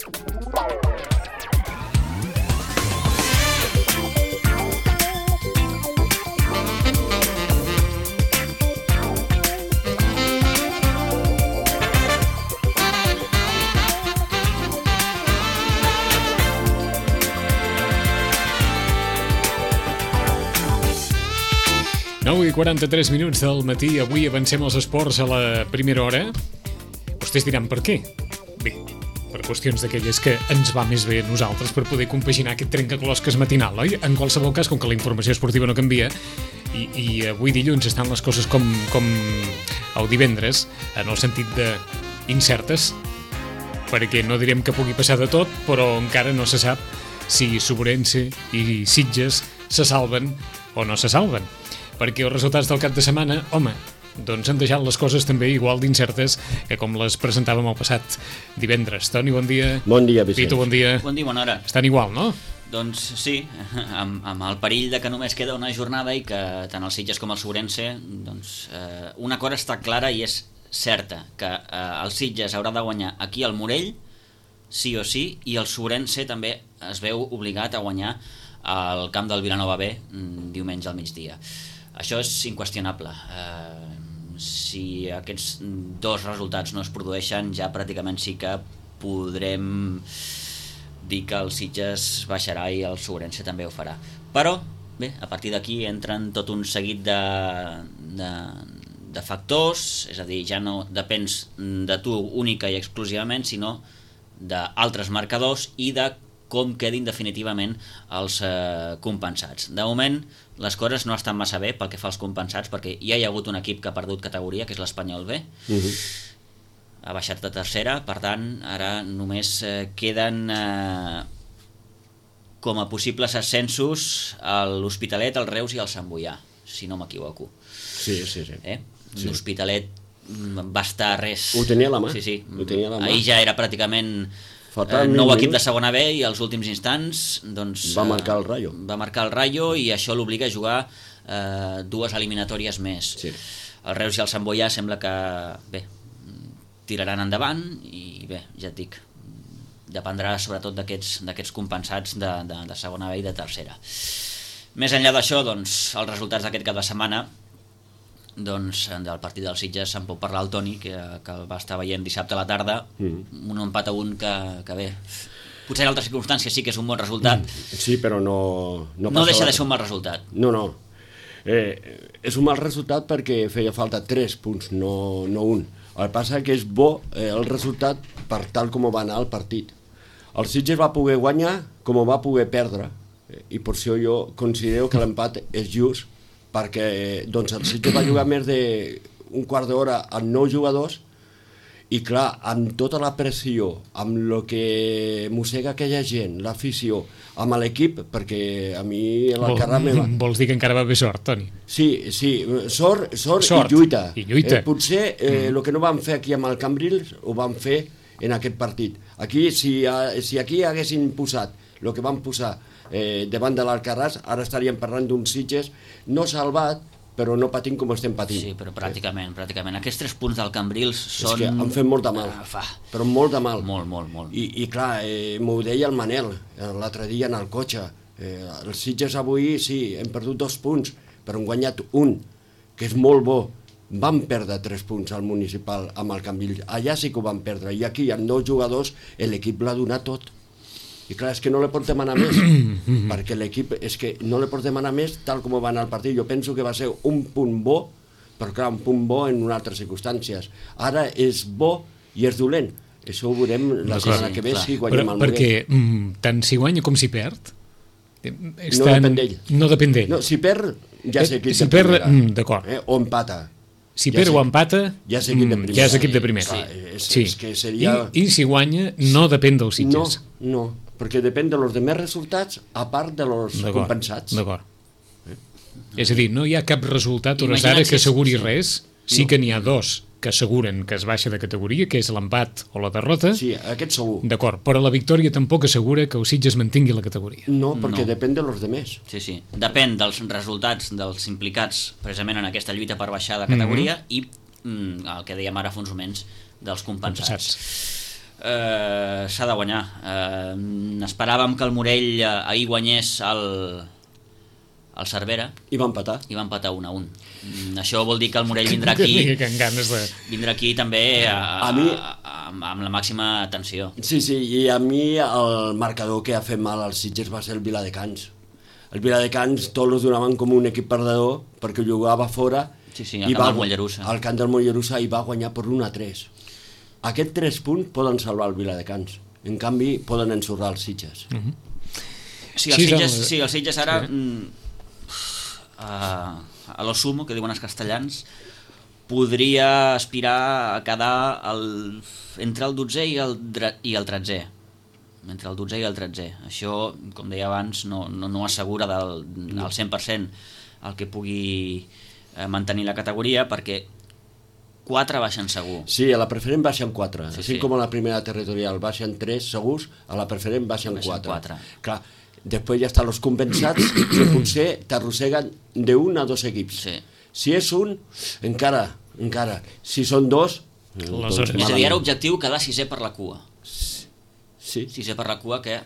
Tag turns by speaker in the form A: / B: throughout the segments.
A: I 43 minuts del matí. Avui avancem els esports a la primera hora. Vostès diran per què? Bé, per qüestions d'aquelles que ens va més bé a nosaltres per poder compaginar aquest trencaclosques matinal, oi? En qualsevol cas, com que la informació esportiva no canvia i avui dilluns estan les coses com el divendres, en el sentit de incertes, perquè no direm que pugui passar de tot, però encara no se sap si Sobrense i Sitges se salven o no se salven. Perquè els resultats del cap de setmana, home, doncs han deixat les coses també igual d'incertes que com les presentàvem el passat divendres. Toni, bon dia.
B: Bon dia, Vicenç.
A: Pitu, bon dia.
C: Bon dia, bona hora.
A: Estan igual, no?
C: Doncs sí, amb el perill de que només queda una jornada i que tant el Sitges com el Sobrense, doncs una cosa està clara i és certa, que el Sitges haurà de guanyar aquí al Morell, sí o sí, i el Sobrense també es veu obligat a guanyar al camp del Vilanova B diumenge al migdia. Això és inqüestionable. Si aquests dos resultats no es produeixen, ja pràcticament sí que podrem dir que el Sitges baixarà i el Sobrense també ho farà. Però, bé, a partir d'aquí entren tot un seguit de factors, és a dir, ja no depens de tu única i exclusivament, sinó d'altres marcadors i de com quedin definitivament els compensats. De moment, les coses no estan massa bé pel que fa als compensats, perquè ja hi ha hagut un equip que ha perdut categoria, que és l'Espanyol B. Ha baixat de tercera, per tant, ara només queden com a possibles ascensos l'Hospitalet, el Reus i el Sant Boià, si no m'equivoco.
B: Sí.
C: L'Hospitalet va estar res.
B: Ho tenia a la mà.
C: Sí.
B: Ho tenia a la mà.
C: Ahir ja era pràcticament nou equip de segona B i als últims instants doncs,
B: va marcar el Rayo.
C: Va marcar el Rayo i això l'obliga a jugar dues eliminatòries més.
B: Sí.
C: El Reus i el Sant Boià sembla que bé, tiraran endavant i bé, ja et dic, dependrà sobretot d'aquests compensats de segona B i de tercera. Més enllà d'això, doncs, els resultats d'aquest cap de setmana, doncs del partit del Sitges se'n pot parlar el Toni, que el va estar veient dissabte a la tarda, un empat a un que bé, potser en altres circumstàncies sí que és un bon resultat.
B: Sí, però no
C: deixa de ser un mal resultat.
B: No. És un mal resultat perquè feia falta 3 punts, no 1. El que passa que és bo el resultat per tal com va anar el partit. El Sitges va poder guanyar com va poder perdre, i per això jo considero que l'empat és just, perquè doncs, el Sitges va jugar més d'un quart d'hora amb 9 jugadors i clar, amb tota la pressió, amb el que mossega aquella gent, l'afició, amb l'equip, perquè a mi l'Alcarràs me va...
A: Vols dir que encara va haver sort, Toni?
B: Sí, sort i lluita. Potser el que no vam fer aquí amb el Cambrils ho vam fer en aquest partit. Aquí, si aquí haguessin posat el que van posar davant de l'Alcarràs, ara estaríem parlant d'un Sitges no salvat, però no patint com estem patint.
C: Sí, però pràcticament. Aquests 3 punts del Cambrils són...
B: És que han fet molt de mal, però molt de mal.
C: Molt.
B: I clar, m'ho deia el Manel l'altre dia en el cotxe. Els Sitges avui, sí, hem perdut 2 punts, però hem guanyat 1, que és molt bo. Vam perdre 3 punts al municipal amb el Cambrils. Allà sí que ho vam perdre, i aquí amb 9 jugadors l'equip l'ha donat tot. I clar, és que no li pot demanar més, perquè l'equip és que no li pot demanar més tal com va anar el partit. Jo penso que va ser un punt bo, però clar, un punt bo en unes altres circumstàncies. Ara és bo i és dolent. Això ho veurem la setmana que ve si guanyem el Morell.
A: Perquè tant si guanya com si perd...
B: No depèn d'ell.
A: No depèn d'ell.
B: No, si perd, ja és equip
A: de primera. D'acord.
B: O empata.
A: Si perd o empata,
B: ja és equip de primera.
A: Ja és equip de primera.
B: Sí. Que seria...
A: I si guanya, no depèn dels Sitges.
B: No, perquè depèn de los demés resultats a part de los compensats.
A: D'acord. És a dir, no hi ha cap resultat hores d'ara que asseguri res. Sí que n'hi ha 2 que asseguren que es baixa de categoria, que és l'empat o la derrota.
B: Sí, aquest segur.
A: D'acord, però la victòria tampoc assegura que el Sitges mantingui la categoria.
B: No, perquè depèn de los demés.
C: Sí. Depèn dels resultats dels implicats precisament en aquesta lluita per baixar de categoria i el que dèiem ara fa uns moments dels compensats. S'ha de guanyar. Esperàvem que el Morell ahir guanyés el Cervera
B: I va empatar.
C: 1-1. Això vol dir que el Morell vindrà aquí vindrà aquí també amb la màxima tensió.
B: Sí, i a mi el marcador que ha fet mal als Sitges va ser el Viladecans. El Viladecans tots els donaven com un equip perdedor perquè jugava fora
C: al camp del Mollerussa.
B: Al camp del Mollerussa i va guanyar per 1-3. Aquests 3 punts poden salvar el Viladecans. En canvi, poden ensorrar els Sitges.
C: Els Sitges ara... a lo sumo, que diuen els castellans, podria aspirar a quedar entre el 12è i el 13è. Entre el 12è i el 13è. Això, com deia abans, no assegura al 100% el que pugui mantenir la categoria, perquè 4 baixen segur.
B: Sí, a la preferent baixen 4. Així com a la primera territorial baixen 3 segurs, a la preferent baixen 4. Clar, després ja estan els compensats que potser t'arrosseguen d'un a 2 equips. Si és un, encara. Si són 2,
C: és a dir, era objectiu quedar 6è per la cua.
B: Sí.
C: 6è per la cua, que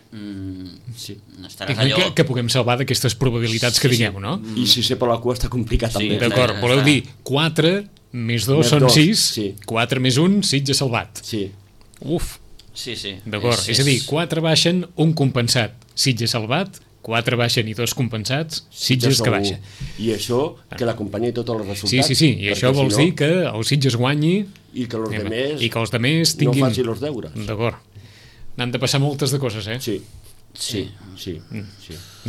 A: estaràs allò... Que puguem salvar d'aquestes probabilitats que diguem, no?
B: I 6è per la cua està complicat també.
A: D'acord, voleu dir 4 més 2 són 6, 4 més 1, Sitges salvat.
B: Sí.
A: Uf.
C: Sí.
A: D'acord, és a dir, 4 baixen, un compensat. Sitges salvat, 4 baixen i 2 compensats, Sitges que baixa.
B: I això que l'acompanyi tots els resultats.
A: Sí, i això vols dir que el Sitges guanyi
B: i que els
A: demés tinguin...
B: no facin els deures.
A: D'acord. N'han de passar moltes de coses, eh?
B: Sí.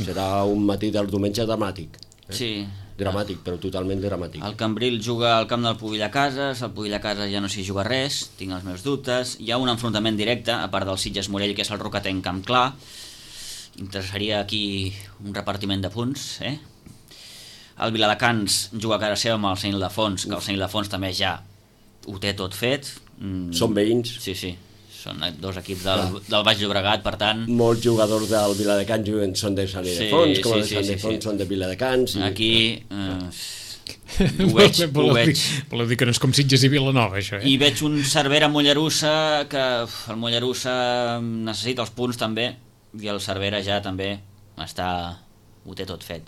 B: Serà un matí del diumenge dramàtic.
C: Sí.
B: Dramàtic, però totalment dramàtic.
C: El Cambril juga al camp del Pubill a Cases, el Pubill a Cases ja no s'hi juga res, tinc els meus dubtes. Hi ha un enfrontament directe, a part del Sitges Morell, que és el Rocatenc Camp Clar. Interessaria aquí un repartiment de punts, El Viladecans juga a casa seva amb el Sant Ildefons, que el Sant Ildefons també ja ho té tot fet.
B: Són veïns.
C: Sí, són 2 equips del Baix Llobregat, per tant...
B: Molts jugadors del Viladecans són de Sant Ildefons, com els de Sant Ildefons són de Viladecans.
C: Aquí ho veig.
A: Voleu dir que no és com Sitges i Vilanova, això,
C: I veig un Cervera Mollerussa, que el Mollerussa necessita els punts també, i el Cervera ja també ho té tot fet.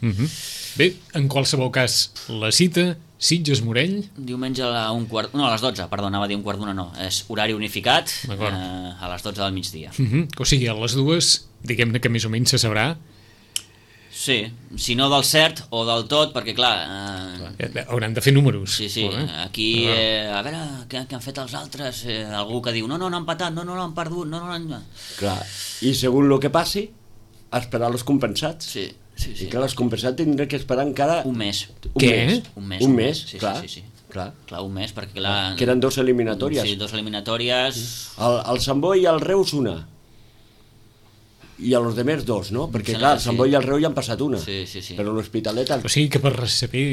A: Bé, en qualsevol cas, la cita, Sitges-Morell...
C: Diumenge a les 12, perdó, anava a dir 1:15, no. És horari unificat, a les 12 del migdia.
A: O sigui, a les 2, diguem-ne que més o menys se sabrà...
C: Sí, si no del cert o del tot, perquè clar...
A: Hauran de fer números.
C: Sí, aquí, a veure, què han fet els altres? Algú que diu, no han empatat, no l'han perdut, no l'han...
B: Clar, i segons el que passi, esperar els compensats.
C: Sí.
B: I clar, els compensats tindrem que esperar encara...
C: Un mes.
A: Què?
B: Un mes, clar.
C: Clar, un mes, perquè clar...
B: Que eren 2 eliminatòries.
C: Sí, 2 eliminatòries...
B: El Sant Boi i el Reus una. I a los demés 2, no? Perquè clar, el Sant Boi i el Reus ja han passat una.
C: Sí.
B: Però l'Hospitalet...
A: O sigui que per saber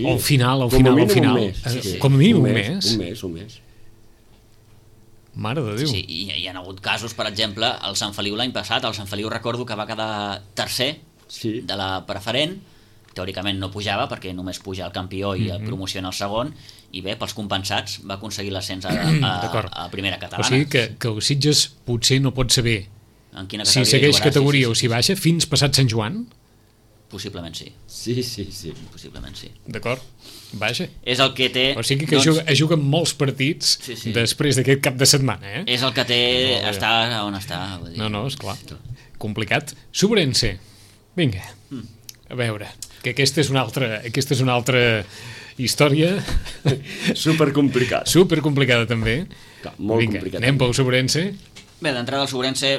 A: al final...
B: Com a mínim un mes.
A: Com a mínim un mes?
B: Un mes.
A: Mare de Déu.
C: Sí, i hi ha hagut casos, per exemple, el Sant Feliu l'any passat. El Sant Feliu recordo que va quedar tercer de la preferent. Teòricament no pujava perquè només puja el campió i el promociona el segon, i bé, pels compensats va aconseguir l'ascens a primera catalana.
A: O sigui que el Sitges potser no pot saber si segueix categoria o si baixa fins passat Sant Joan?
C: Possiblement sí.
B: Sí.
C: Possiblement sí.
A: D'acord, vaja.
C: És el que té...
A: O sigui que juga molts partits després d'aquest cap de setmana, eh?
C: És el que té estar on està.
A: No, esclar. Complicat. Sobrense. Vinga, a veure, que aquesta és una altra història. Supercomplicada també.
B: Molt complicada.
A: Anem pel Sobrense.
C: Bé, d'entrada el Sobrense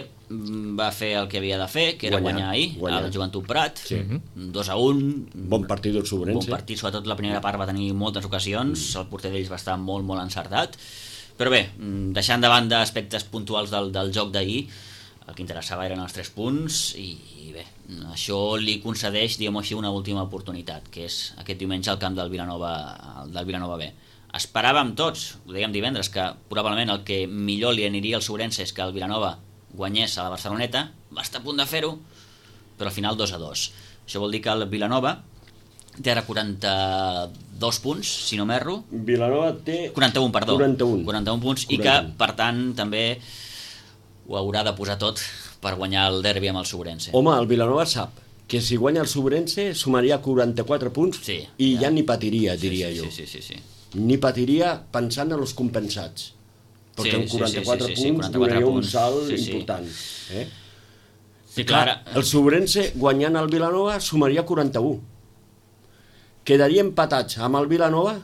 C: va fer el que havia de fer, que era guanyar ahir al Joventut Prat, 2-1.
B: Bon partit del Sobrense.
C: Bon partit, sobretot la primera part va tenir moltes ocasions, el porter d'ells va estar molt encertat, però bé, deixant de banda aspectes puntuals del joc d'ahir, el que interessava eren els 3 punts i bé, això li concedeix, diguem-ho així, una última oportunitat, que és aquest diumenge al camp del Vilanova B. Esperàvem tots, ho dèiem divendres, que probablement el que millor li aniria al Sobrense és que el Vilanova guanyés a la Barceloneta, va estar a punt de fer-ho, però al final 2-2. Això vol dir que el Vilanova té ara 42 punts, si no m'erro.
B: Vilanova té...
C: 41 punts, i que, per tant, també ho haurà de posar tot per guanyar el derbi amb el Sobrense.
B: Home, el Vilanova sap que si guanya el Sobrense sumaria 44 punts i ja ni patiria, diria jo.
C: Sí.
B: Ni patiria pensant en els compensats. Perquè amb 44 punts donaria un salt important.
C: Sí, clar.
B: El Sobrense guanyant el Vilanova sumaria 41. Quedaria empatats amb el Vilanova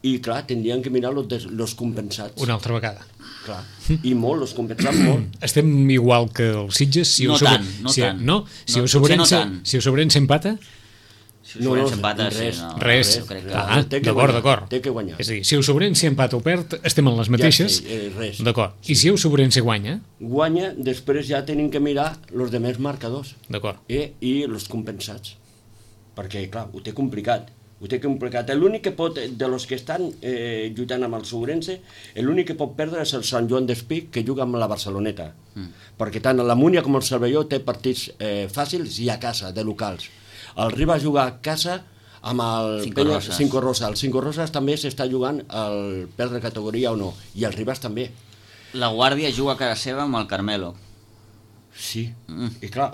B: i, clar, tindrien que mirar els compensats.
A: Una altra vegada.
B: Clar. I molt, els compensats molt.
A: Estem igual que els Sitges?
C: No tant.
A: Si el Sobrense empata?
C: Si el Sobrense empata,
A: res. D'acord.
B: Té que guanyar.
A: És a dir, si el Sobrense empata o perd, estem en les mateixes.
B: Res.
A: D'acord. I si el Sobrense guanya?
B: Guanya, després ja tenim que mirar els demés marcadors.
A: D'acord.
B: I els compensats. Perquè, clar, ho té complicat. L'únic que pot, de los que estan lluitant amb el Sobrense, l'únic que pot perdre és el Sant Joan d'Espí, que juga amb la Barceloneta. Perquè tant la Múnia com el Cervelló té partits fàcils i a casa, de locals. El Ribas juga a casa amb el Cinco Roses. El Cinco Roses també s'està jugant el perdre categoria o no, i el Ribas també.
C: La Guàrdia juga a casa seva amb el Carmelo.
B: Sí, i clar,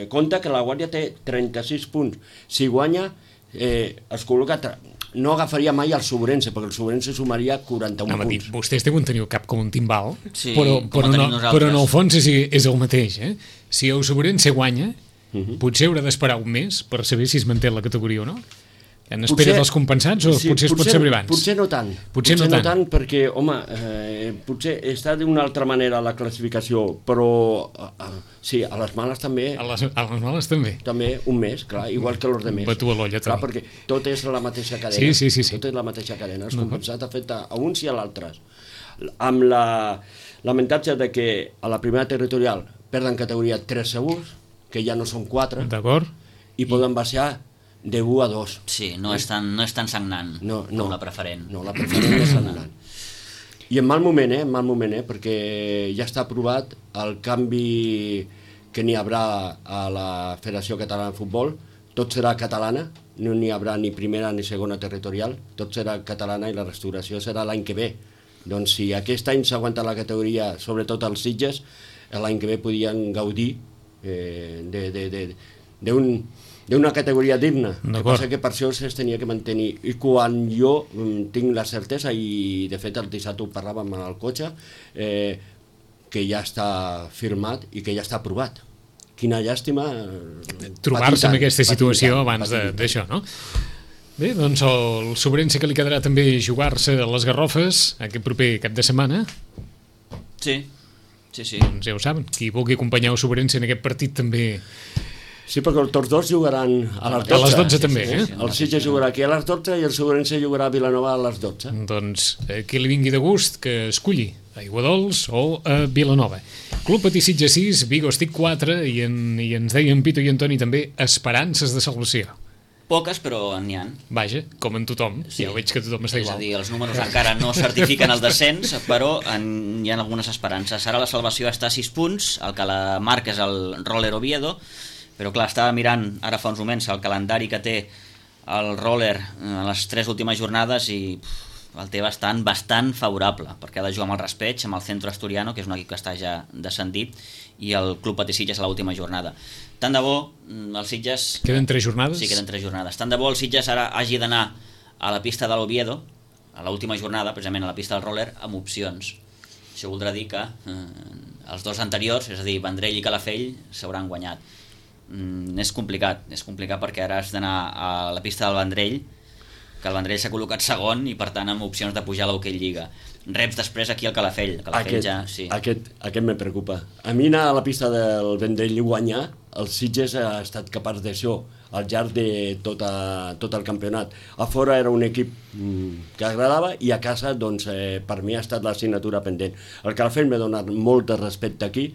B: compte que la Guàrdia té 36 punts. Si guanya, es col·loca... No agafaria mai el Sobrense, perquè el Sobrense sumaria 41 punts.
A: Vostès deuen tenir el cap com un timbal,
C: sí,
A: però en el fons és el mateix. Si el Sobrense guanya, potser haurà d'esperar un mes per saber si es manté la categoria o no. En espera dels compensats o potser es pot saber abans?
B: Potser no tant. Potser no tant perquè, home, potser està d'una altra manera la classificació, però sí, a les males també.
A: A les males també.
B: També un mes, clar, igual que els demés.
A: Batu a l'olla també.
B: Clar, perquè tot és la mateixa cadena.
A: Sí.
B: Tot és la mateixa cadena. Els compensats afecta a uns i a l'altres. Amb l'avantatge de que a la primera territorial perden categoria 3 segurs, que ja no són 4.
A: D'acord.
B: I poden baixar de 1 a 2.
C: Sí, no és tan sagnant com la preferent.
B: No, la preferent és sagnant. I en mal moment, perquè ja està aprovat el canvi que n'hi haurà a la Federació Catalana de Futbol. Tot serà catalana, no n'hi haurà ni primera ni segona territorial, tot serà catalana i la restauració serà l'any que ve. Doncs si aquest any s'aguanta la categoria, sobretot els Sitges, l'any que ve podien gaudir d'una categoria digna. El que passa que per això es tenia que mantenir. I quan jo tinc la certesa, i de fet el dissabte ho parlàvem en el cotxe, que ja està firmat i que ja està aprovat. Quina llàstima
A: trobar-se en aquesta situació abans d'això, no? Bé, doncs el Sobrense que li quedarà també jugar-se a les Garrofes aquest proper cap de setmana.
C: Sí.
A: Doncs ja ho saben, qui vulgui acompanyar el Sobrense en aquest partit també.
B: Sí, perquè tots dos jugaran a les 12.
A: A les 12 també,
B: El Sitges jugarà aquí a les 12 i el Sobrense jugarà a Vilanova a les 12.
A: Doncs qui li vingui de gust que esculli a Iguadols o a Vilanova. Club Patí Sitges 6, Vigo Estic 4 i ens deien Pito i Antoni també esperances de salvació.
C: Poques, però n'hi ha.
A: Vaja, com en tothom, ja veig que tothom està igual.
C: És a dir, els números encara no certifiquen el descens, però hi ha algunes esperances. Ara la salvació està a 6 punts, el que la marca és el Roller Oviedo, però clar, estava mirant ara fa uns moments el calendari que té el Roller en les 3 últimes jornades i el té bastant favorable, perquè ha de jugar amb el Raspeig, amb el Centro Asturiano, que és un equip que està ja descendit, i el Club Patí Sitges a l'última jornada. Tant de bo el Sitges...
A: Queden 3 jornades?
C: Sí, queden 3 jornades. Tant de bo el Sitges ara hagi d'anar a la pista de l'Oviedo, a l'última jornada, precisament a la pista del Roller, amb opcions. Això voldrà dir que els dos anteriors, és a dir, Vendrell i Calafell, s'hauran guanyat. És complicat perquè ara has d'anar a la pista del Vendrell, que el Vendrell s'ha col·locat segon i per tant amb opcions de pujar a l'Hockey Lliga. Reps després aquí el Calafell.
B: Aquest me preocupa. A mi anar a la pista del Vendrell i guanyar, el Sitges ha estat capaç d'això al llarg de tot el campionat. A fora era un equip que agradava i a casa doncs, per mi ha estat l'assignatura pendent. El Calafell m'ha donat molt de respecte aquí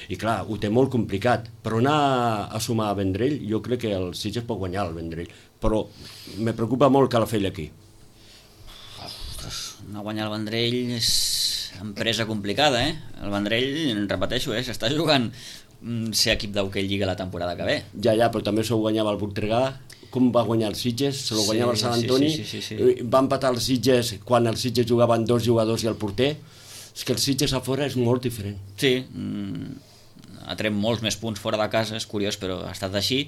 B: i clar, ho té molt complicat, però anar a sumar a Vendrell, jo crec que el Sitges pot guanyar el Vendrell, però me preocupa molt Calafell aquí.
C: Ostres, no guanyar el Vendrell és empresa complicada, El Vendrell, repeteixo, s'està jugant ser equip d'Hockey Lliga la temporada que ve.
B: Ja, però també s'ho guanyava el Voltregà, com va guanyar el Sitges, se lo guanyava el Sant Antoni, va empatar el Sitges quan el Sitges jugaven 2 jugadors i el porter. És que el Sitges a fora és molt diferent.
C: Sí, ha tret molts més punts fora de casa, és curiós, però ha estat així.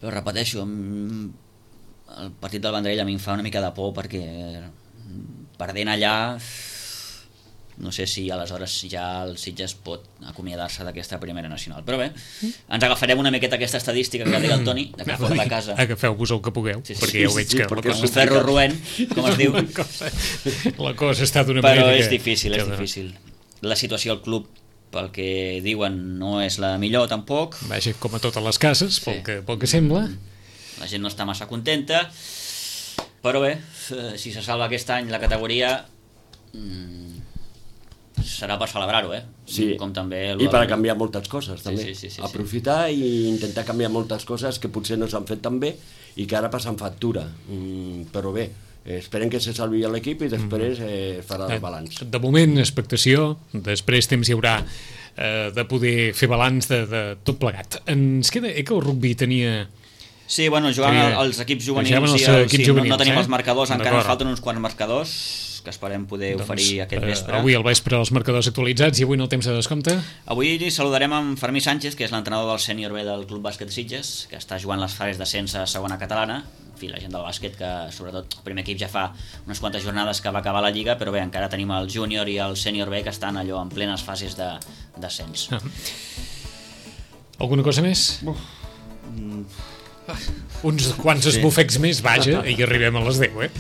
C: Però repeteixo, el partit del Vendrell a mi em fa una mica de por, perquè perdent allà no sé si aleshores ja el Sitges pot acomiadar-se d'aquesta primera nacional. Però bé, ens agafarem una miqueta aquesta estadística que deia el Toni, de que fora de casa...
A: Agafeu-vos el que pugueu, perquè ja ho veig que...
C: Com un ferro roent, com es diu.
A: La cosa està d'una manera...
C: Però és difícil, és difícil. La situació al club, pel que diuen, no és la millor tampoc.
A: Vaja, com a totes les cases, pel que sembla.
C: La gent no està massa contenta, però bé, si se salva aquest any la categoria... serà per celebrar-ho,
B: Sí,
C: com també
B: i per canviar moltes coses, també.
C: Sí.
B: Aprofitar i intentar canviar moltes coses que potser no s'han fet tan bé i que ara passen factura. Però bé, esperem que se salvi l'equip i després farà el balanç.
A: De moment, expectació, després temps hi haurà de poder fer balanç de tot plegat. Ens queda que el rugby tenia...
C: Sí, bueno, jugant els equips juvenils, no tenim els marcadors, encara ens falten uns quants marcadors que esperem poder oferir aquest vespre.
A: Avui al vespre els marcadors actualitzats i avui en el temps de descompte?
C: Avui saludarem amb Fermí Sánchez, que és l'entrenador del sènior B del Club Bàsquet Sitges, que està jugant les fases d'ascens a segona catalana. En fi, la gent del bàsquet, que sobretot el primer equip ja fa unes quantes jornades que va acabar la Lliga, però bé, encara tenim el júnior i el sènior B que estan allò en plenes fases d'ascens.
A: Alguna cosa més? Uns quants esbufecs més, vaja, i arribem a les 10,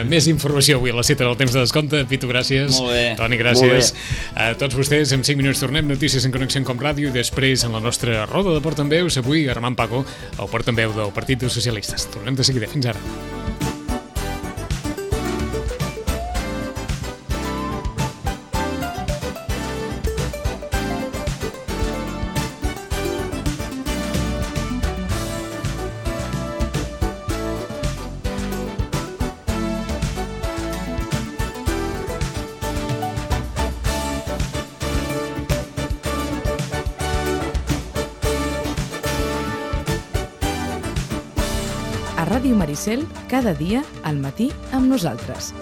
A: Més informació avui a la cita del temps de descompte. Pitu, gràcies.
C: Molt bé.
A: Toni, gràcies. A tots vostès, en 5 minuts tornem, notícies en Connexió com Ràdio, i després en la nostra roda de portaveus, avui Armand Paco, el portaveu del Partit dels Socialistes. Tornem de seguida. Fins ara.
D: A Ràdio Maricel, cada dia al matí amb nosaltres.